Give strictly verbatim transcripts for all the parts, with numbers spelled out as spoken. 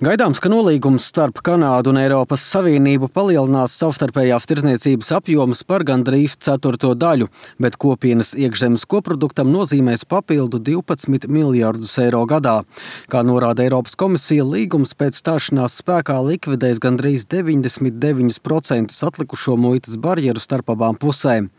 Gaidāms, ka nolīgums starp Kanādu un Eiropas Savienību palielinās savstarpējās tirdzniecības apjomus par gandrīz ceturto daļu, bet kopienas iekšzemes koproduktam nozīmēs papildu divpadsmit miljardus eiro gadā. Kā norāda Eiropas komisija, līgums pēc stāšanās spēkā likvidēs gandrīz deviņdesmit deviņus procentus atlikušo muitas barjeru starp abām pusēm.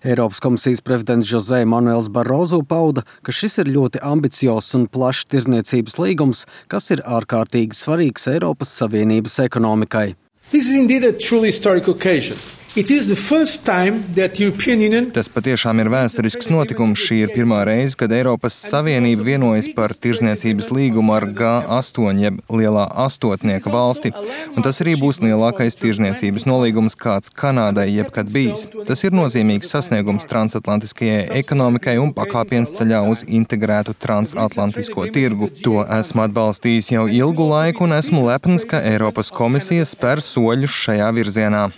Eiropas komisijas prezidents José Manuels Barroso pauda, ka šis ir ļoti ambiciozs un plašs tirdzniecības līgums, kas ir ārkārtīgi svarīgs. svarīgs Eiropas Savienības ekonomikai. This is indeed a truly historic occasion. It is the first time that European Union... Tas patiešām ir vēsturisks notikums. Šī ir pirmā reize, kad Eiropas Savienība vienojas par tirdzniecības līgumu ar G astoņi, jeb lielā astotnieka valsti. Un tas arī būs lielākais tirdzniecības nolīgums, kāds Kanādai jebkad bijis. Tas ir nozīmīgs sasniegums transatlantiskajai ekonomikai un pakāpiens ceļā uz integrētu transatlantisko tirgu. To esmu atbalstījis jau ilgu laiku un esmu lepns, ka Eiropas komisija spēr soļus šajā virzienā.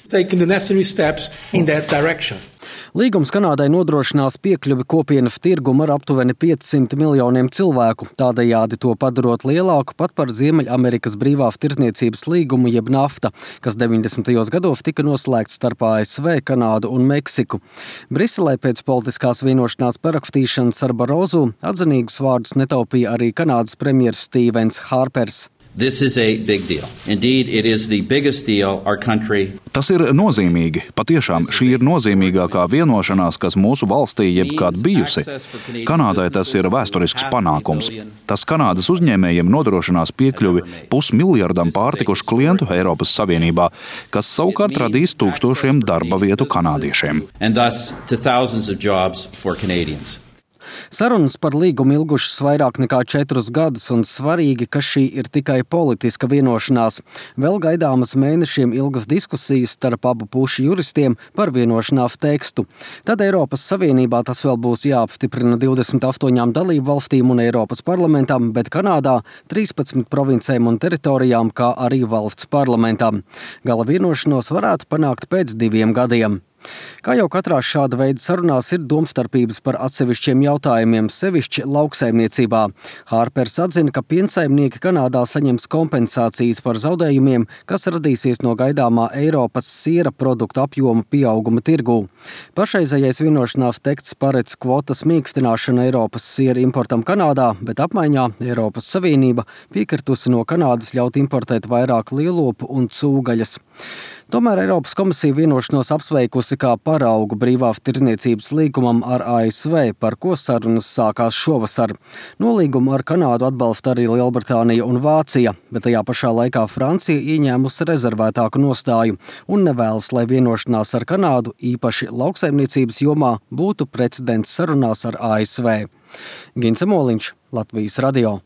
steps in that direction. Līgums Kanādai nodrošinās piekļuvi kopienas tirgumu ar aptuveni piecsimt miljoniem cilvēku, tādējādi to padarot lielāku pat par Ziemeļamerikas brīvās tirdzniecības līgumu jeb NAFTA, kas deviņdesmitajos gados tika noslēgts starp A S V, Kanādu un Meksiku. Briselē pēc politiskās vienošanās parakstīšanas ar Barroso atzinīgus vārdus netaupīja arī Kanādas premjers Stevens Harpers. This is a big deal. Indeed, it is the biggest deal our country. Tas ir nozīmīgi. Patiešām šī ir nozīmīgākā vienošanās, kas mūsu valstī jebkad bijusi. Kanādai tas ir vēsturisks panākums. Tas Kanādas uzņēmējiem nodrošinās piekļuvi pusmiljardam pārtikušu klientu Eiropas Savienībā, kas savukārt radīs tūkstošiem darba vietu kanādiešiem. And thus to thousands of jobs for Canadians. Sarunas par līgumu ilgušas vairāk nekā četrus gadus, un svarīgi, ka šī ir tikai politiska vienošanās. Vēl gaidāmas mēnešiem ilgas diskusijas starp abu pušu juristiem par vienošanās tekstu. Tad Eiropas Savienībā tas vēl būs jāapstiprina divdesmit astoņām dalību valstīm un Eiropas parlamentam, bet Kanādā trīspadsmit provincēm un teritorijām, kā arī valsts parlamentam. Gala vienošanos varētu panākt pēc diviem gadiem. Kā jau katrā šāda veida sarunās ir domstarpības par atsevišķiem jautājumiem, sevišķi lauksaimniecībā. Harpers atzina, ka piensaimnieki Kanādā saņems kompensācijas par zaudējumiem, kas radīsies no gaidāmā Eiropas siera produktu apjoma pieauguma tirgū. Pašreizējais vienošanās teksts paredz kvotas mīkstināšanu Eiropas siera importam Kanādā, bet apmaiņā Eiropas Savienība piekritusi no Kanādas ļaut importēt vairāk lielopu un cūgaļas. Tomēr Eiropas komisija vienošanos apsveikusi kā paraugu brīvās tirdzniecības līgumam ar A S V, par ko sarunas sākās šovasar. Nolīgumu ar Kanādu atbalsta arī Lielbritānija un Vācija, bet tajā pašā laikā Francija ieņēmusi rezervētāku nostāju un nevēlas, lai vienošanās ar Kanādu, īpaši lauksaimniecības jomā, būtu precedents sarunās ar A S V. Gints Moliņš, Latvijas radio.